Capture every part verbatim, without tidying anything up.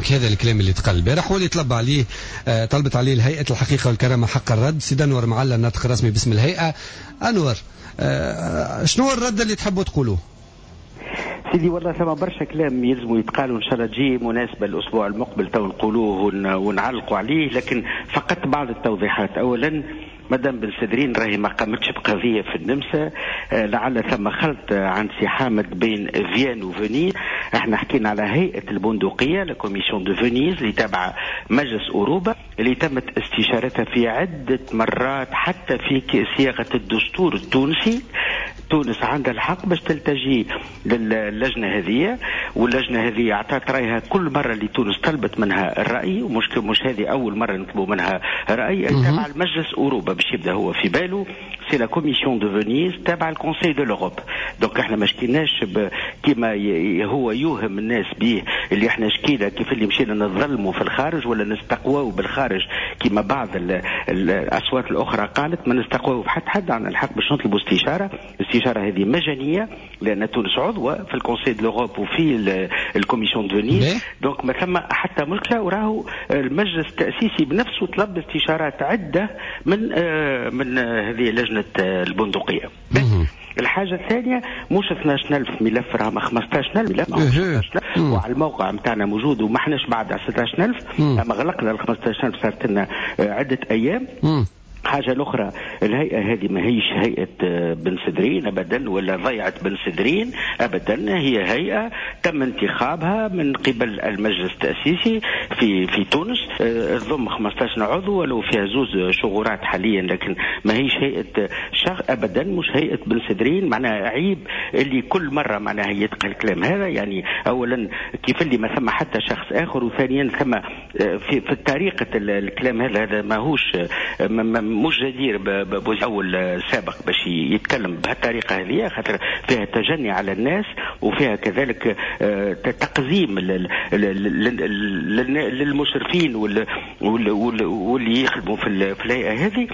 donc هذا الكلام اللي تقال البارح واللي طلب عليه آه طلبت عليه الهيئة الحقيقة والكرامة حق الرد. سيد انور معلى الناطق الرسمي باسم الهيئة. انور، آه شنو الرد اللي تحبوا تقولوه؟ سيدي والله ثم برشا كلام يلزم يتقال، وان شاء الله تجي مناسبة الاسبوع المقبل تو نقولوه ونعلقوا عليه، لكن فقط بعض التوضيحات. اولا مدام بن سدرين راهي ما قامتش بقضيه في النمسا، آه، لعل ثم خلط عند سي حامد بين Vienne و Venise. احنا حكينا على هيئة البندقية، la commission de Venise، اللي تابعه مجلس اوروبا، اللي تمت استشارتها في عده مرات حتى في صياغة الدستور التونسي. تونس عندها الحق باش تلتجي للجنة هذه، واللجنة هذه اعطت رايها كل مرة اللي تونس طلبت منها الراي، ومش مش هذه اول مرة نطلبوا منها راي. تابع المجلس اوروبا باش يبدا هو في باله، c'est la commission de Venise تابع ال Conseil de l'Europe. donc احنا ما شكيناش كيما هو يوهم الناس به اللي احنا شكينا كيف اللي مشينا نظلموا في الخارج ولا نستقواو بالخارج كما بعض الاصوات الاخرى قالت. ما نستقواو بحد حد، عندنا الحق باش نطلبوا استشاره. الاستشارة هذه مجانية لان تونس عضوة في ال Conseil de l'Europe وفي ال commission de Venise، donc ما ثم حتى مشكله. وراهو المجلس التاسيسي بنفسه طلب استشارات عده من آه، من هذه لجنة البندقيه. الحاجة الثانية، مش اثنا عشر ألف ملف، راهم خمسة عشر ألف ملف، وعلى الموقع نتاعنا موجود، وما احناش بعد على ستة عشر ألف، اما غلقنا ال خمسة عشر ألف صارت لنا عدة أيام. حاجة الأخرى، الهيئة هذه ما هيش هيئة آه، بن سدرين أبدا ولا ضيعة بن سدرين أبدا. هي هيئة تم انتخابها من قبل المجلس التأسيسي في في تونس، آه، تضم خمسة عشر عضو ولو فيها زوز شغورات حاليا، لكن ما هيش هيئة شخص أبدا، مش هيئة بن سدرين. معناها عيب اللي كل مرة معناها يتقال الكلام هذا. يعني أولا كيف اللي ما ثم حتى شخص آخر، وثانيا ثم آه، في في طريقة الكلام هذا، هذا ماهوش مش جدير بأول سابق باش يتكلم بهالطريقة هذه، خاطر فيها تجني على الناس وفيها كذلك آه، تقزيم للمشرفين واللي يخدموا في الهيئة هذه.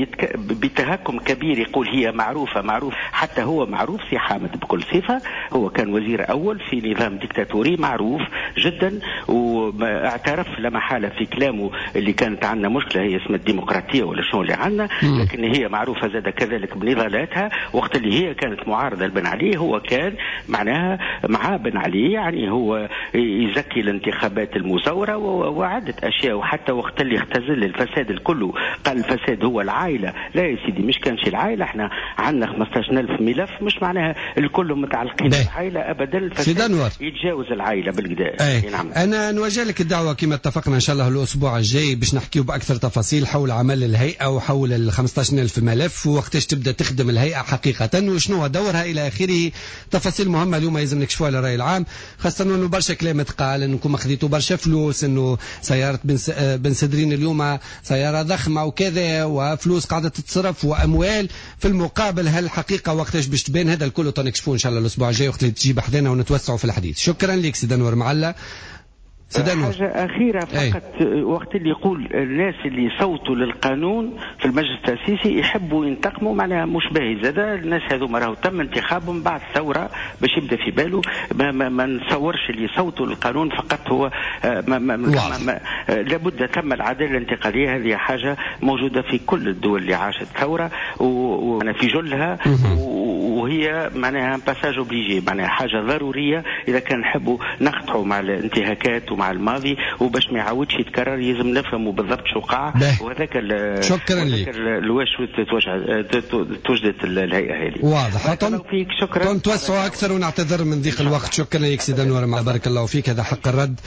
يتك... بتهكم كبير يقول هي معروفة معروف، حتى هو معروف سي حامد بكل صفة، هو كان وزير أول في نظام ديكتاتوري معروف جدا، واعترف لا محالة في كلامه اللي كانت عندنا مشكلة هي اسمها الديمقراطية ولا شنو اللي عندنا، لكن هي معروفة زاد كذلك بنضالاتها. وقت اللي هي كانت معارضة لبن علي هو كان معناها مع بن علي، يعني هو يزكي الانتخابات المزورة وعدة أشياء، وحتى وقت اللي اختزل الفساد الكل قال الفساد هو العائلة. لا يا سيدي، مش كانش العائلة. احنا عندنا خمسة عشر ألف ملف، مش معناها الكل متعلقين بالعائلة أبدا، الفساد يتجاوز العائلة بالقدا. نعم. أنا نوجه لك الدعوة كما اتفقنا إن شاء الله الأسبوع الجاي باش نحكيو بأكثر تفاصيل حول عمل الهيئة وحول ال خمسة عشر ألف ملف ووقتاش تبدأ تخدم الهيئة حقيقة وشنو دورها إلى آخره. تفاصيل مهمة اليوم لازم نكشفوها للرأي العام، خاصة أنه برشا كلام تقال أنكم خذيتوا برشا فلوس، أنه سيارة بن, بن سدرين اليوم سيارة ضخمة وكذا، وفلوس قاعدة تتصرف وأموال في المقابل. هل الحقيقة وقتاش باش تبان؟ هذا الكل نكشفوه إن شاء الله الأسبوع الجاي وقت اللي تجي بحذانا ونتوسعوا في الحديث. شكرا لك سيد أنور معلى. حاجة أخيرة فقط. أي. وقت اللي يقول الناس اللي صوتوا للقانون في المجلس التأسيسي يحبوا ينتقموا، معناها مش باهي زاد. الناس هذوما راهو تم انتخابهم بعد ثورة، باش يبدا في باله. ما, ما, ما نتصورش اللي صوتوا للقانون فقط هو آه، ما ما ما ما لابد ثم العدالة الانتقالية. هذه حاجة موجودة في كل الدول اللي عاشت ثورة وفي جلها، وهي معناها passage obligé، معناها حاجة ضرورية إذا كان نحبوا نقطعوا مع الانتهاكات ومع الماضي، وباش ما يعاودش يتكرر يلزم نفهموا بالضبط شو وقع. وهذاك شكرا لك. الواش توجدت الهيئة هذه. واضح. فيك شكرا. نتوسعوا اكثر ونعتذر من ضيق الوقت. شكرا لك سيدي انور، بارك الله فيك. هذا حق الرد.